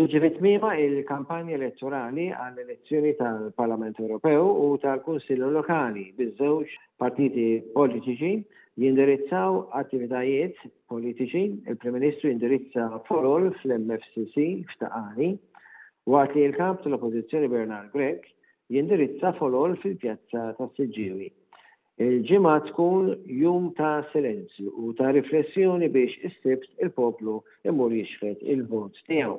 Tiġi fi tmiemha il-kampanja elettorali għall-elezzjoni tal-Parlament Ewropew u tal-Kunsilli Lokali biż-żewġ partiti politiċi jindirizzaw attivitajiet politiċi, il-Prim Ministru jindirizza folol fl-MFCC f'Ta' Qali, waqt li l-Kap tal-Oppożizzjoni Bernard Grech jindirizza folol fil-Pjazza tas-Siġġiewi. Il-Ġimgħa tkun jum ta' silenzju u ta' riflessjoni biex is-Sibt il-poplu jmur jixħet il-vot tiegħu.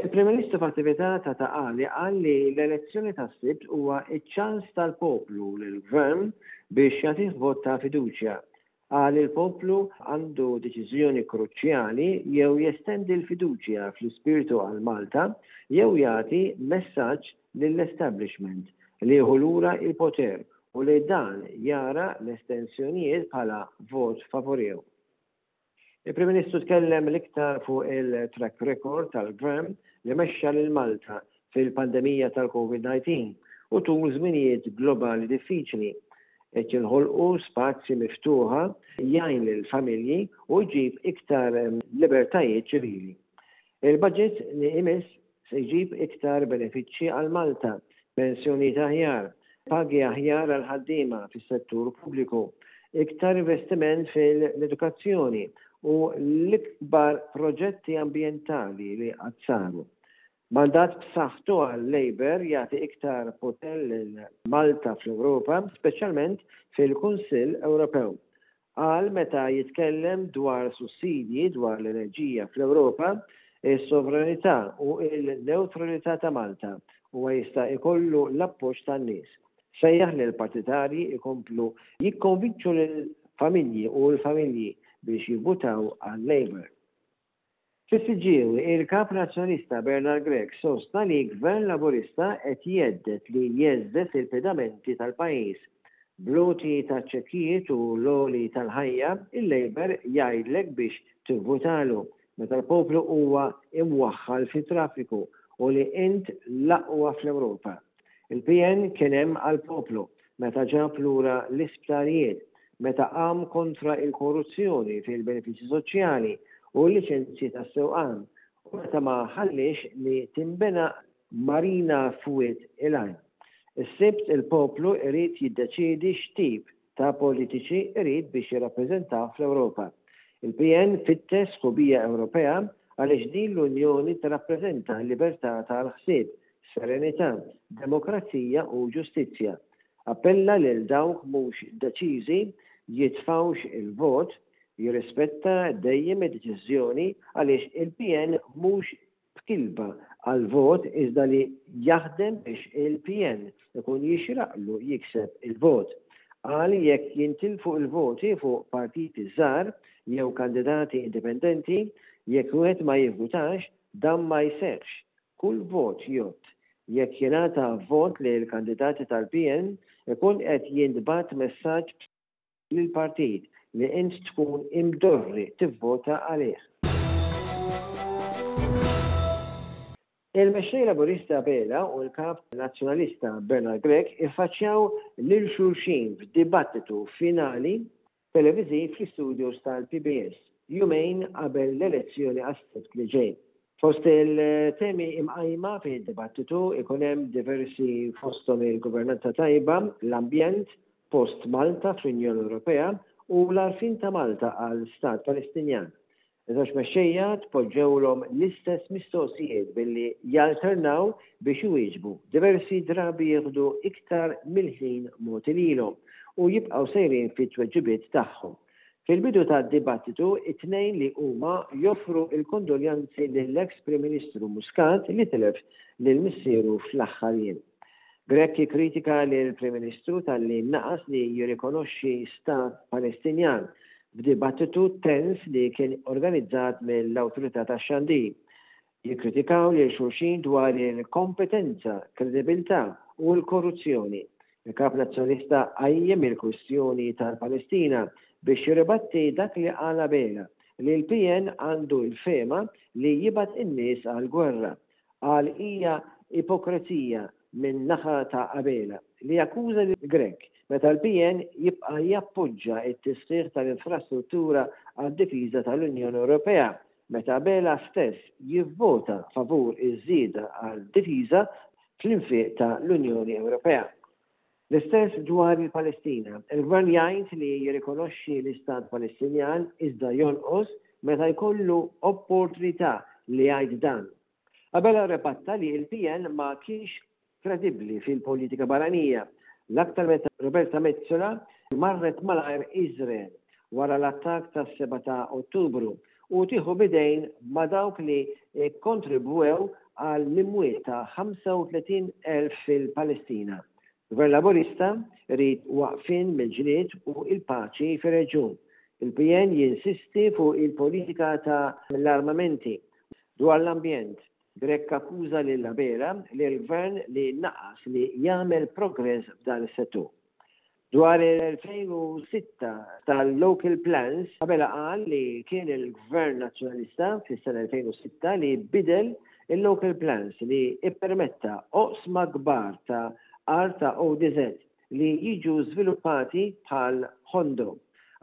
Il-Prim Ministru f'attività ta' Ta' Qali qal li l-elezzjoni tas-Sibt huwa ċ-ċans tal-poplu lill-Gvern biex jagħtih vot ta' fiduċja. Qal li l-poplu għandu deċiżjoni kruċjali jew jestendi l-fiduċja fl-ispirtu għal Malta jew jagħti messaġġ lill-establishment li jieħu lura l-poter u li dan jara l-estensjonijiet bħala vot favorihu. Il-Prim Ministru tkellem l-iktar fuq il-track record tal-Gvern li mexxa lil Malta fil-pandemija tal-Covid-19 u tul żminijiet globali diffiċli. Qed jinħolqu spazji miftuħa jgħin lill-familji u jġib iktar libertajiet ċivili. Il-budget li imiss Se jġib iktar benefiċċji għal Malta, pensjonijiet aħjar, pagi aħjar għall-ħaddiema fis-settur pubbliku, iktar investiment fil-edukazzjoni u l-ikbar proġetti ambjentali li qatt saru. Mandat b'saħħtu għal-Labour jagħti iktar poter lil Malta fl-Ewropa, speċjalment fil-Kunsill Ewropew. Qal meta jitkellem dwar sussidji dwar l-enerġija fl-Ewropa, is-sovranità u l-newtralità ta' Malta, huwa jista' jkollu l-appoġġ tan-nies. Sejjaħ lill-partitarji jkomplu jikkonvinċu lill-familji u l-familji biex jivvutaw għal-Labour. Fis-Siġġiewi, il-Kap Nazzjonalista Bernard Grech sostna li Gvern Laburista qed jhedded li jheżżeż il-pedamenti tal-pajjiż. Bl-għoti taċ-ċekkijiet u l-għoli tal-ħajja, il-Labour jgħidlek biex tivvutalu meta l-poplu huwa imwaħħal fit-traffiku u li int l-aqwa fl-Ewropa. Il-PN kien hemm għall-poplu meta ġab lura l-isptarijiet, meta qam kontra l-korruzzjoni fil-benefiċċji soċjali u l-liċenzji tas-sewqan u meta ma ħalliex li tinbena marina f'Wied il-Għajn. Is-Sibt il-poplu irid jiddeċiedi x'tip ta' politiċi irid biex jirrappreżentah fl-Ewropa. Il-PN fittex sħubija Ewropea għaliex din l-Unjoni tirrappreżenta l-libertà tal-ħsieb, serenità, demokrazija u ġustizzja. Appella lil dawk mhux deċiżi jitfgħux il-vot, jirrispetta dejjem id-deċiżjoni għaliex il-PN mhux b'kilba għall-vot iżda li jaħdem biex il-PN ikun jixraqlu jikseb il-vot. Qal jekk jintilfu l-voti fuq partiti żgħar jew kandidati indipendenti, jekk wieħed ma jivvutax, dan ma jseħħx. Kull vot jgħodd. Jekk jingħata vot lill-kandidati tal-PN, ikun qed jintbagħat messaġġ lill-partit li int tkun imdorri tivvota għalih. Il-Mexxej Laburista Abela u l-Kap Nazzjonalista Bernard Grech iffaċċjaw lil xulxin f'dibattitu finali televiżiv fl-istudios tal-PBS jumejn qabel l-elezzjoni għas-Sibt li ġej. Fost il-temi imqajma fid-dibattitu ikun hemm diversi fosthom il-governanza tajba, l-ambjent, post Malta fl-Unjoni Ewropea u l-għarfien ta' Malta għal Stat Palestinjan. Iż-żewġ mexxejja tpoġġewlhom l-istess mistoqsijiet billi jalternaw biex iwieġbu, diversi drabi jieħdu iktar mill-ħin mogħti lilhom u jibqgħu sejrin fit-tweġibiet tagħhom. Fil-bidu tad-dibattitu, it-tnejn li huma joffru l-kondoljanzi lill-eks Prim Ministru Muscat li tilef lil missieru fl-aħħar jiem. Grech jikkritika lill-Prim Ministru talli naqas li jirrikonoxxi stat Palestinjan f'dibattitu tens li kien organizzat mill-Awtorità tax-Xandir. Jikkritikaw lil xulxin dwar il-kompetenza, kredibilità u l-korruzzjoni. Il-Kap Nazzjonalista qajjem il-kwistjoni tal-Palestina biex jirribatti dak li qal Abela, li l-PN għandu l-fehma li jibgħat in-nies għall-gwerra. Qal hija ipokrezija minn naħa ta' Abela li jakkuża lil Grech meta l-PN jibqa' jappoġġa t-tisħiħ tal-infrastruttura għad-difiża tal-Unjoni Ewropea. meta Abela stess jivvota favur iż-żieda għal difiża fl-infiq ta' l-Unjoni Ewropea. L-istess dwar il-Palestina. Il-Gvern jgħid li jirrikonoxxi l-Istat Palestinjan iżda jonqos meta jkollu opportunità li jgħid dan. Abela rrepatta li l-PN ma kienx kredibbli fil-politika barranija, l-aktar meta Roberta Metsola marret malajr Iżrael wara l-attakk tas-sebgħa ta' Ottubru u tieħu b'idejn ma' dawk li kkontribwew għal l-imwiet ta' 35,000 fil-Palestina. Gvern Laburista jrid waqfien mill-ġlied u l-paċi fir-reġjun. Il-PN jinsisti fuq il-politika ta' l-armamenti. Dwar l-ambjent, Grech akkuża lil Abela li l-Gvern li naqas li jagħmel progress f'dan is-settur. Dwar il-2006 tal-Local Plans, Abela qal li kien il-Gvern Nazzjonalista fis-sena 2006 li bidel il-Local Plans li ippermetta oqsma kbar ta' art ta' ODZ li jiġu żviluppati bħal Ħondo.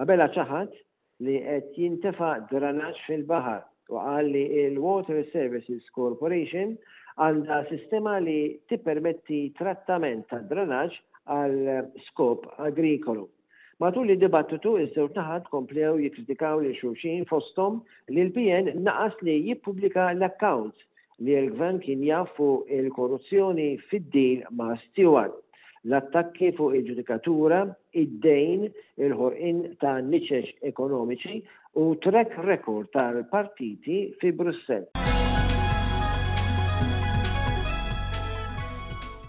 Abela ċaħad li qed jintefa' dranaġġ fil-baħar u qal li l-Water Services Corporation għandha sistema li tippermetti trattament tad-dranaġġ għal skop agrikolu. Matul id-dibattitu iż-żewġ naħat komplew jikkritikaw lil xulxin fosthom li l-PN naqas li jippubblika l-accounts li l-Gvern kien jaf fuq il-korruzzjoni fid-deal ma' Steward, l-attakki fuq il-ġudikatura, id-dejn, il-ħolqien ta' niċeċ ekonomiċi u track record tal-partiti fi Brussell.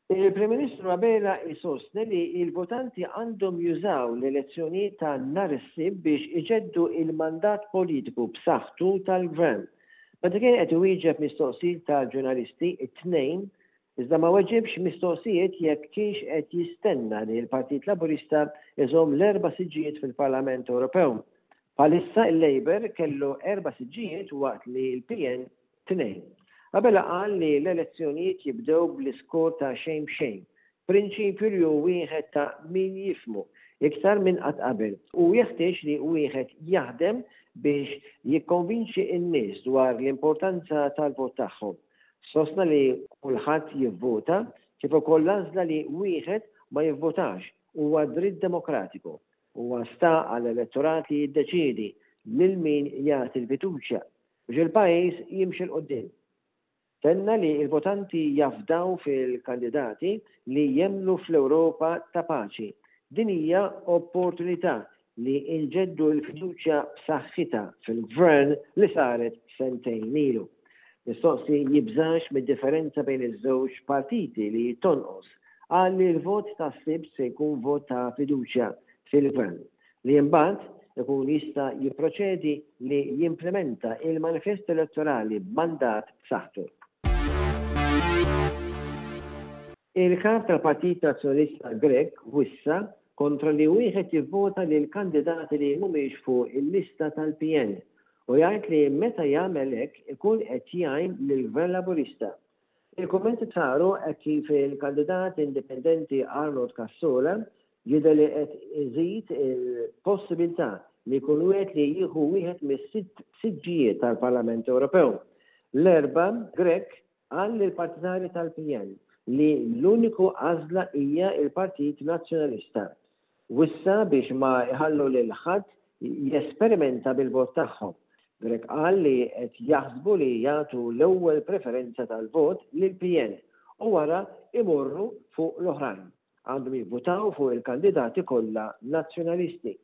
Il-Prim Ministru Abela jsostni li l-votanti għandhom jużaw l-elezzjonijiet ta' nhar is-Sibt biex iġeddu l-mandat politiku b'saħħtu tal-Gvern. Meta kien qed iwieġeb mistoqsijiet ta' ġurnalisti t-Tnejn, iżda ma weġibx mistoqsijiet jekk kienx qed jistenna li l-Partit Laburista jżomm l-erba' siġġijiet fil-Parlament Ewropew. Bħalissa il-Labour kellu erba' siġġijiet waqt li l-PN tnejn. Abela qal li l-elezzjonijiet jibdew bl-iskor ta' xejn b'xejn, Prinċipju li hu wieħed ta' min jifhmu iktar minn qatt qabel u jeħtieġ li wieħed jaħdem biex jikkonvinċi n-nies dwar l-importanza tal-vot tagħhom. Sostna li kulħadd jivvota kif ukoll l-għażla li wieħed ma jivvotax huwa dritt demokratiku. Huwa sta għall-elettorat li jiddeċiedi lil min jagħti l-fiduċja biex il-pajjiż jimxi 'l quddiem. Tenna li l-votanti jafdaw fil-kandidati li jemmnu fl-Ewropa ta' paċi. Din hija opportunità li nġeddu l-fiduċja b'saħħitha fil-Gvern li saret sentejn ilu. Mistoqsi jibżax mid-differenza bejn iż-żewġ partiti li tonqos, qal li l-vot tas-Sibt se jkun vot ta' fiduċja fil-Gvern. li imbagħad ikun jista' jipproċedi li jimplimenta il-manifest elettorali b'mandat b'saħħtu. Il-Kap tal-Partit Nazzjonalista Grech wissa kontra li wieħed jivvota lil kandidati li mhumiex fuq il-lista tal-PN u jgħid li meta jagħmel hekk ikun qed jgħin lill-Gvern Laburista. Il-kummenti saru hekk kif il-kandidat indipendenti Arnold Cassola jidher li qed iżid il-possibilità li jkun wieħed li jieħu wieħed mis-sitt siġġijiet tal-Parlament Ewropew. L-Erbgħa, Grech qal lill-partitarji tal-PN li l-uniku għażla hija l-Partit Nazzjonalista. Wissa biex ma jħallu lil ħadd jesperimenta bil-vot tagħhom. Grech qal li qed jaħsbu li jagħtu l-ewwel preferenza tal-vot lill-PN u wara jmorru fuq l-oħrajn. Għandhom jivvutaw fuq il-kandidati kollha Nazzjonalisti.